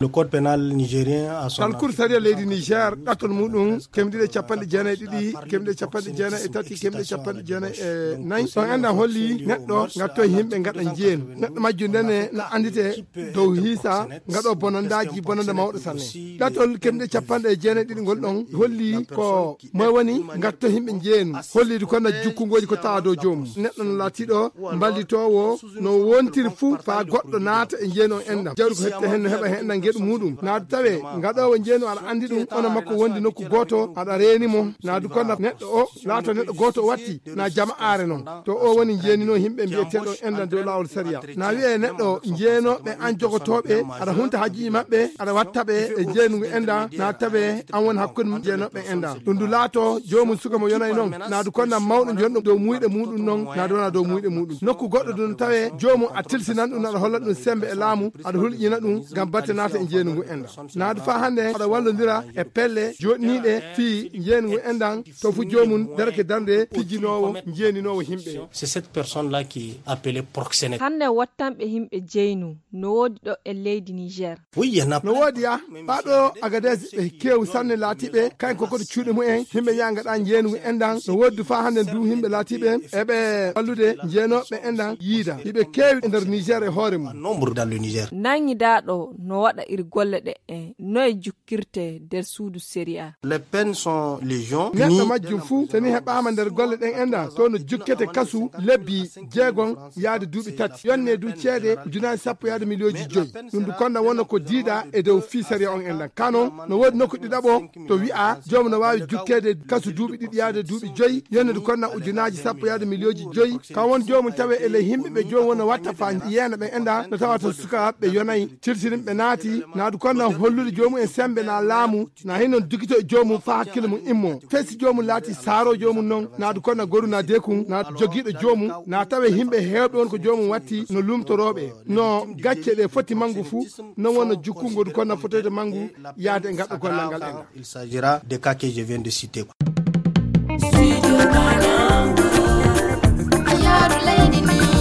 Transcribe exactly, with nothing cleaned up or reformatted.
Le code pénal nigérien a son. Talkuru sariya leydi Niger, ɗattol muɗum kemɗiɗe capanɗe jeenayi e ɗiɗi, kemɗiɗe capanɗe jeenayi e tati, kemɗiɗe capanɗe jeenayi e nayi. Ɗon enɗan holli neɗɗo ngattoy himɓe ngaɗa njeenu. Neɗɗo majjum ndene na anndite dow hiisa ngaɗo bonandaaji, bonanda mawɗo sanne. Ɗattol kemɗiɗe capanɗe jeenayi e ɗiɗi ngol ɗon holli ko moy woni ngatto himɓe njeenu. Holliidu kon na jukkungooji ko tawa dow joomum. Neɗɗo no laatiɗo mballitoowo no wontiri fuu faa goɗɗo naata e njeenu on enɗan. Jawdi ko hette hen no heɓa hen enɗan geɗu muɗum. Naadu tawe ngaɗoowo njeenu aɗa anndi ɗum, ono makko wondi nokku gooto, aɗa reeni mo. Naadu kon na neɗɗo o laato neɗɗo gooto o watti, na jama'aare non. To o woni njeeninoo himɓe mbiyeteeɗo enɗan dow laawol sariya. Na wi'e neɗɗo jeenooɓe an jogotooɓe, aɗa hunta hajjuuji maɓɓe, aɗa watta ɓe e njeenu ngu enɗan, na tawe an woni hakkunde jeenooɓe enɗan. Ɗum ndu laato joomum suka mo yonay non, naadu kon na mawɗo jonɗo dow muyɗe muɗum non, naadu wona dow muyɗe muɗum. Nokku goɗɗo ɗum tawe joomum a tilsinan ɗum, aɗa holla ɗum sembe e laamu, aɗa hulƴina ɗum ngam batte naata e njeenu ngu enɗan. Naadu faa hannde aɗa wallondira e pelle jooɗniiɗe fii njeenu ngu enɗan, to fu joomum darake darnde pijjinoowo, njeeninoowo himɓe. C'est cette personne-là qui est appelée proxénète. Hannde wattanɓe himɓe jeynu no woodi ɗo e leydi Niger. Oui, il y en a. No woodi ya, faa ɗo Agadez ɓe keewu sanne laatiɓe, kayen ko koto cuuɗi mumen, himɓe yaha ngaɗa njeenu enɗan, no woodi faa hannde du himɓe laatiɓe, eɓe wallude jeenooɓe enɗan yiida. Hiɓe keewi e nder Niger e hoore mum. Nombre dans le Niger. Nanngidaaɗo no waɗa iri golle ɗe e noye jukkirte nder suudu sariya. Les peines sont légion. Neɗɗo majjum fuu, so ni heɓaama nder golle ɗen enɗan, to no jukkete kasu lebbi jeegom yaade duuɓi tati. Yonne du ceede ujunaaji sappo yaade miliyooji joyi. Ɗum du kon na wona ko diida e dow fii sariya on enɗan. Ka non, no woodi nokku ɗiɗaɓo to wi'a joomum no waawi jukkeede kasu duuɓi ɗiɗi yaade duuɓi joyi. Yonne du kon na ujunaaji sappo yaade miliyooji joyi. Ka won joomum tawe e ley himɓe ɓe joomum wona watta faa yeena ɓe enɗan, no tawata sukaaɓe ɓe yonay. Tilsirin ɓe naati, naadu kon na hollude joomum en sembe na laamu, na hin non dukito e joomum faa hakkille mum immo. Fesi joomum laati saaro joomum non, naadu kon na goru na deekun, na jogiiɗo joomum, na tawe himɓe heewɓe won ko joomum watti no lumtorooɓe. No gacce ɗe foti mangu fuu, non wonno jukkungo du kon na fotoyde mangu yaade e ngaɗɗo gollal ngal enɗan. Il s'agira des cas que je viens de citer. Studio Banangu, a yaaru leydi ni.